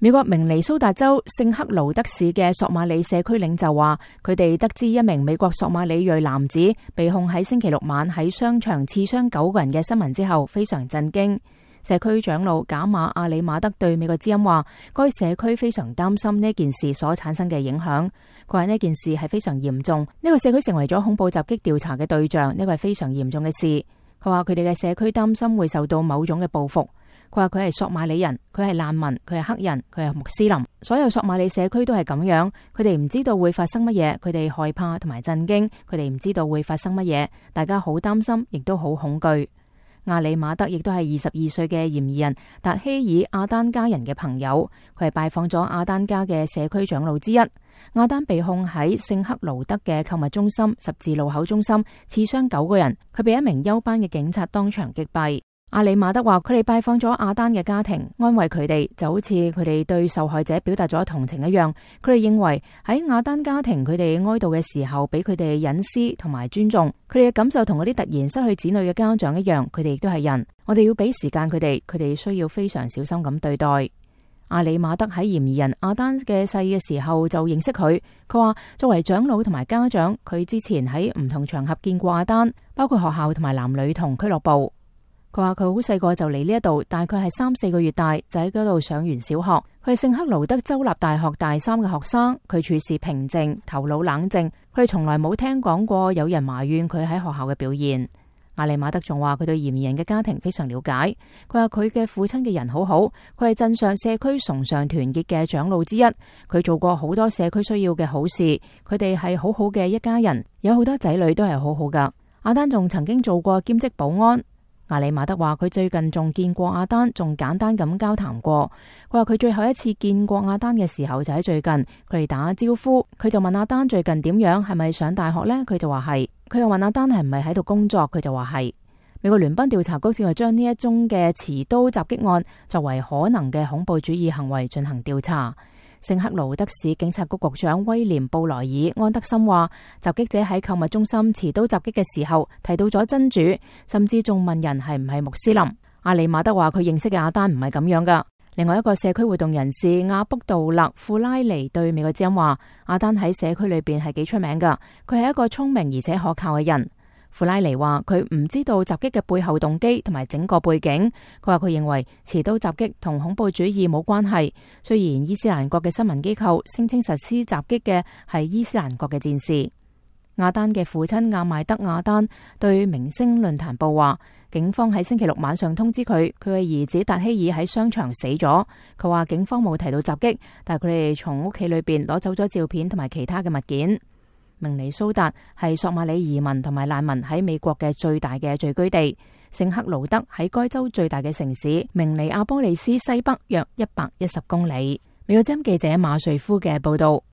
美國明尼蘇達州聖克勞德市嘅索馬里社區領袖話，佢哋得知一名美國索馬里裔男子被控喺星期六晚喺商場刺傷9個人嘅新聞之後，非常震驚。社區長老賈馬阿里馬德對美國之音話，該社區非常擔心呢件事所產生嘅影響。佢話呢件事係非常嚴重，呢個社區成為咗恐怖襲擊調查嘅對象，呢個係非常嚴重嘅事。佢話佢哋嘅社區擔心會受到某種嘅報復。佢話佢係索馬里人，佢係難民，佢係黑人，佢係穆斯林。所有索馬里社區都係咁樣，佢哋唔知道會發生乜嘢，佢哋害怕同埋震驚，佢哋唔知道會發生乜嘢，大家好擔心，亦都好恐懼。阿里馬德亦都係22歲嘅嫌疑人達希爾阿丹家人嘅朋友，佢係拜訪咗阿丹家嘅社區長老之一。阿丹被控喺聖克勞德嘅購物中心十字路口中心刺傷9個人，佢被一名休班嘅警察當場擊斃。阿里馬德話佢哋拜訪咗阿丹嘅家庭，安慰佢哋，就好似佢哋對受害者表達咗同情一樣。佢哋認為喺阿丹家庭，佢哋哀悼嘅時候俾佢哋隱私同埋尊重，佢哋嘅感受同嗰啲突然失去子女嘅家長一樣，佢哋亦都係人。我哋要俾時間佢哋，佢哋需要非常小心咁對待。阿里馬德喺嫌疑人阿丹嘅細嘅時候就認識佢，佢話作為長老同埋家長，佢之前喺唔同場合見過阿丹，包括學校同埋男女童俱樂部。佢話佢好細個就嚟呢一度，大概係3-4個月大，就喺嗰度上完小學。佢係聖克勞德州立大學大3嘅學生，佢處事平靜，頭腦冷靜，佢哋從來冇聽講過有人埋怨佢喺學校嘅表現。阿里馬德仲話佢對嫌疑人嘅家庭非常了解，佢話佢嘅父親嘅人好好，佢係鎮上社區崇尚團結嘅長老之一，佢做過好多社區需要嘅好事，佢哋係好好嘅一家人，有好多仔女都係好好噶。阿丹仲曾經做過兼職保安。阿里馬德話佢最近仲見過阿丹，仲簡單咁交談過。佢話佢最後一次見過阿丹嘅時候就喺最近，佢哋打招呼，佢就問阿丹最近點樣，係咪上大學呢？佢就話係。佢又問阿丹係唔係喺度工作，佢就話係。美國聯邦調查局正係將呢一宗嘅持刀襲擊案作為可能嘅恐怖主義行為進行調查。聖克勞德市警察局局長威廉布萊爾安德森話，襲擊者喺購物中心持刀襲擊嘅時候提到咗真主，甚至仲問人係唔係穆斯林。阿里馬德話佢認識嘅阿丹唔係咁樣噶。另外一個社區活動人士亞卜杜勒庫拉尼對美國之音話，阿丹喺社區裏邊係幾出名噶，佢係一個聰明而且可靠嘅人。庫拉尼話佢唔知道襲擊嘅背後動機同埋整個背景。佢話佢認為持刀襲擊同恐怖主義冇關係。雖然伊斯蘭國嘅新聞機構聲稱實施襲擊嘅係伊斯蘭國嘅戰士。阿丹嘅父親阿邁德阿丹對明星論壇報話，警方喺星期六晚上通知佢嘅兒子達希爾喺商場死咗。佢話警方冇提到襲擊，但係佢哋從屋企裏邊攞走咗照片同埋其他嘅物件。明尼蘇達係索馬里移民同埋難民喺美國嘅最大嘅聚居地。聖克勞德喺該州最大嘅城市明尼阿波利斯西北約110公里。美國之音記者馬瑞夫嘅報道。